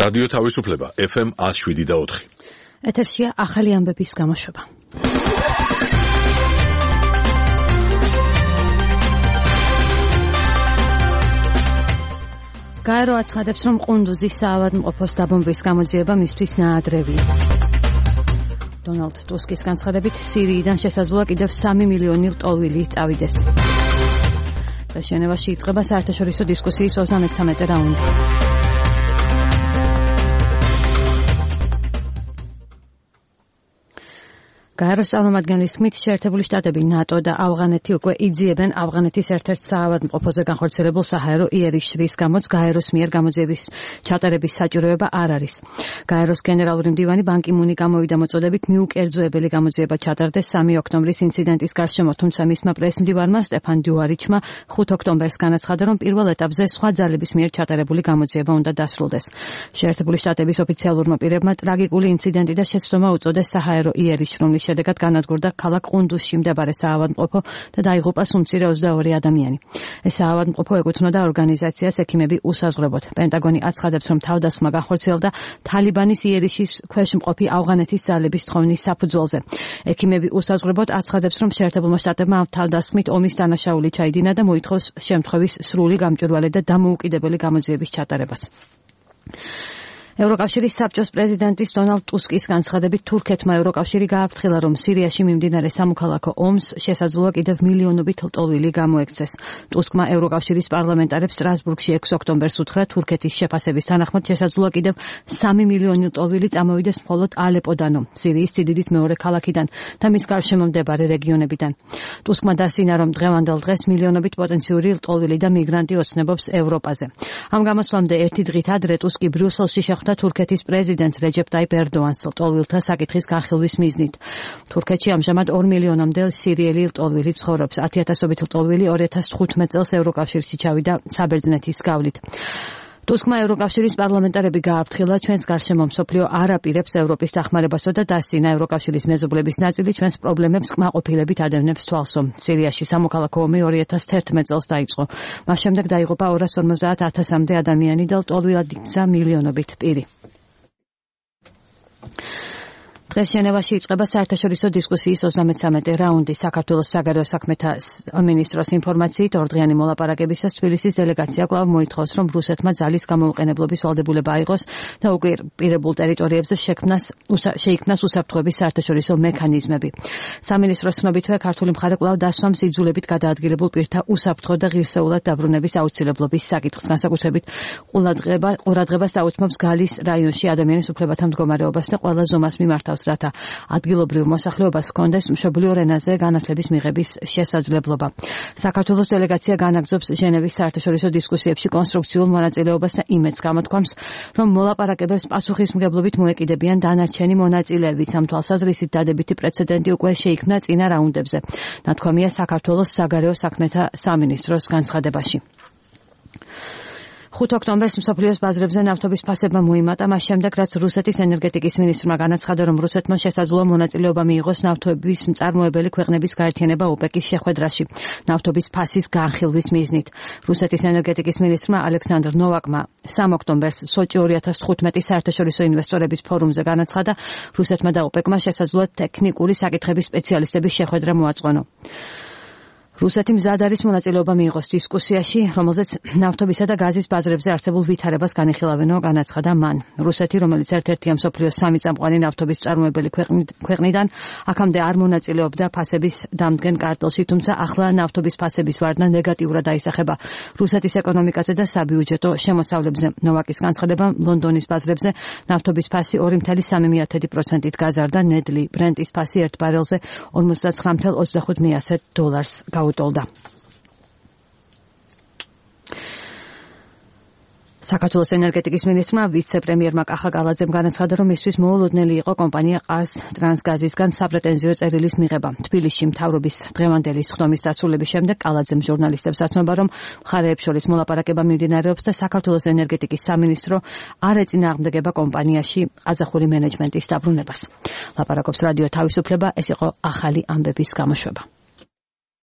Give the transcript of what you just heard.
რადიო თავისუფლება FM 107.4. ეთერშია ახალი ამბების გამოშვება. გაერო აცხადებს, რომ ყუნდუზის საავადმყოფოს დაბომბვის გამოძიება მისთვის ნაადრევია. დონალდ ტუსკის განცხადებით, სირიიდან შესაძლოა კიდევ 3 მილიონი ლტოლვილი წავიდეს. ჟენევაში იწყება საერთაშორისო დისკუსიის 33 რაუნდი. გაეროს წარმომადგენლის თქმით, შეერთებული შტატები, ნატო და ავღანეთი უკვე იძიებენ ავღანეთის ერთ-ერთ საავადმყოფოზე განხორციელებულ საჰაერო იერიშის გამოც გაეროს მიერ გამოძიების ჩატარების საჭიროება არ არის. გაეროს გენერალური მდივანი ბან კი მუნი გამოვიდა მოწოდებით მიუკერძოებელი გამოძიება ჩატარდეს 3 ოქტომბრის ინციდენტის გარშემო, თუმცა მისმა პრესმდივარმა სტეფან დუარიჩმა 5 ოქტომბერს განაცხადა, რომ პირველ ეტაპზე სხვა ძალების მიერ ჩატარებული გამოძიება უნდა დასრულდეს. შეერთებული შტატების ოფიციალურმა პირებმა ტრაგიკული ინციდენტი და შეცდომა უწოდეს საჰაერო იერიშ, რომლის შედეგად განადგურდა ქალაქ ყუნდუსში მდებარე საავადმყოფო და დაიღუპა უმცირე 22 ადამიანი. ეს საავადმყოფო ეკუთვნოდა ორგანიზაციას ექიმები უსაზღვრებოდ. პენტაგონი აცხადებს, რომ თავდასხმა განხორციელდა თალიბანის იერიშის ქვეშ მყოფი ავღანეთის ძალების თხოვნის საფუძველზე. ექიმები უსაზღვრებოდ აცხადებს, რომ შეერთებულმა შტატებმა ამ თავდასხმით ომის დანაშაული ჩაიდინა და მოითხოვს შემთხვევის სრული გამჭვირვალე და დამოუკიდებელი გამოძიების ჩატარებას. ევროკავშირის საბჭოს პრეზიდენტის დონალდ ტუსკის განცხადებით, თურქეთმა ევროკავშირი გააფრთხილა, რომ სირიაში მიმდინარე სამოქალაქო ომს შესაძლოა კიდევ მილიონობით ლტოლვილი გამოექცეს. ტუსკმა ევროკავშირის პარლამენტარებს სტრასბურგში 6 ოქტომბერს უთხრა, თურქეთის შეფასების თანახმად შესაძლოა კიდევ 3 მილიონი ლტოლვილი წამოვიდეს მხოლოდ ალეპოდანო, სირიის სიდიდით მეორე ქალაქიდან და მის გარშემო მდებარე რეგიონებიდან. ტუსკმა დასინა, რომ დღევანდელ დღეს მილიონობით პოტენციური ლტოლვილი და მიგრანტი ოცნებობს ევროპაზე. ამ გამოსვლამდე ერთი დღით ადრე ტუსკი ბრიუსელში შეხვდა თურქეთის პრეზიდენტს რეჯეპ ტაიპ ერდოანს ლტოლვილთა საკითხის განხილვის მიზნით. თურქეთში ამჟამად 2 მილიონამდე სირიელი ლტოლვილი ცხოვრობს. 10,000-ობით ლტოლვილი 2015 წელს ევროკავშირში ჩავიდა საბერძნეთის გავლით. ტუსკმა ევროკავშირის პარლამენტარები გააფრთხილა, ჩვენს გარშემო მსოფლიო არ აპირებს ევროპის დახმარებასო და დასინა ევროკავშირის მეზობლების ნაწილი ჩვენს პრობლემებს კმაყოფილებით ადევნებს თვალსო. სირიაში სამოქალაქო ომი 2011 წელს დაიწყო. მას შემდეგ დაიღუპა 250,000-მდე ადამიანი და ლტოლვილად იქცა მილიონობით პირი. დღეს ჟენევაში იწყება საერთაშორისო დისკუსიის 33 რაუნდი. საქართველოს საგარეო საქმეთა მინისტროს ინფორმაციით, ორდღიანი მოლაპარაკებისას თბილისის დელეგაცია კვლავ მოითხოვს, რომ რუსეთმა ძალის გამოუყენებლობის ვალდებულება აიღოს და ოკუპირებულ ტერიტორიებზე შეიქმნას უსაფრთხოების საერთაშორისო მექანიზმები. სამინისტროს ცნობითვე, ქართული მხარე კვლავ დასვამს იძულებით გადაადგილებულ პირთა უსაფრთხო და ღირსეულად დაბრუნების აუცილებლობის საკითხს. განსაკუთრებით ყურადღებას აუთმობს გალის რაიონში ადამიანის უფლებათა მდგომარეობას და ყველა ზომას მიმართავს, რათა ადგილობრივ მოსახლეობას ჰქონდეს მშობლიურ ენაზე განათლების მიღების შესაძლებლობა. საქართველოს დელეგაცია განაგრძობს ჟენევის საერთაშორისო დისკუსიებში კონსტრუქციულ მონაწილეობას და იმედს გამოთქვამს, რომ მოლაპარაკებებს პასუხისმგებლობით მოეკიდებიან დანარჩენი მონაწილეებიც. ამ თვალსაზრისით დადებითი პრეცედენტი უკვე შეიქმნა წინა რაუნდებზე. ნათქვამია საქართველოს საგარეო საქმეთა სამინისტროს განცხადებაში. 5 ოქტომბერს მსოფლიოს ბაზრებზე ნავთობის ფასებმა მოიმატა, მას შემდეგ, რაც რუსეთის ენერგეტიკის მინისტრმა განაცხადა, რომ რუსეთმა შესაძლოა მონაწილეობა მიიღოს ნავთობის მწარმოებელი ქვეყნების გაერთიანება ოპეკის შეხვედრაში, ნავთობის ფასის განხილვის მიზნით. რუსეთის ენერგეტიკის მინისტრმა ალექსანდრ ნოვაკმა 3 ოქტომბერს სოჭი 2015 საერთაშორისო ინვესტორების ფორუმზე განაცხადა, რუსეთმა და ოპეკმა შესაძლოა ტექნიკური საკითხების სპეციალისტების შეხვედრა მოაწყონო. რუსეთი მზად არის მონაწილეობა მიიღოს დისკუსიაში, რომელზეც ნავთობისა და გაზის ბაზრებზე არსებულ ვითარებას განიხილავენო, განაცხადა მან. რუსეთი, რომელიც ერთ-ერთია მსოფლიოს 3 წამყვანი ნავთობის მწარმოებელი ქვეყნიდან, აქამდე არ მონაწილეობდა ფასების დამდგენ კარტელში, თუმცა ახლა ნავთობის ფასების ვარდნა ნეგატიურად აისახება რუსეთის ეკონომიკაზე და საბიუჯეტო შემოსავლებზე. ნოვაკის განცხადებამ ლონდონის ბაზრებზე ნავთობის ფასი 2,3% გაზარდა, ნედლი ბრენტის ფასი 1 ბარელზე 59,25 დოლარს გაუტოლდა. საქართველოს ენერგეტიკის მინისტრმა ვიცე-პრემიერმა კახა კალაძემ განაცხადა, რომ მისთვის მოულოდნელი იყო კომპანია ტრანსგაზისგან საპრეტენზიო წერილის მიღება. თბილისში მთავრობის დღევანდელი სხდომის დასრულების შემდეგ კალაძემ ჟურნალისტებს ასწნობა, რომ მხარეებს შორის მოლაპარაკება მიმდინარეობს და საქართველოს ენერგეტიკის სამინისტრო არ ეწინააღმდეგება კომპანიაში ყაზახური მენეჯმენტის დაბრუნებას. ლაპარაკობს რადიო თავისუფლება, ეს იყო ახალი ამბების გამოშვება.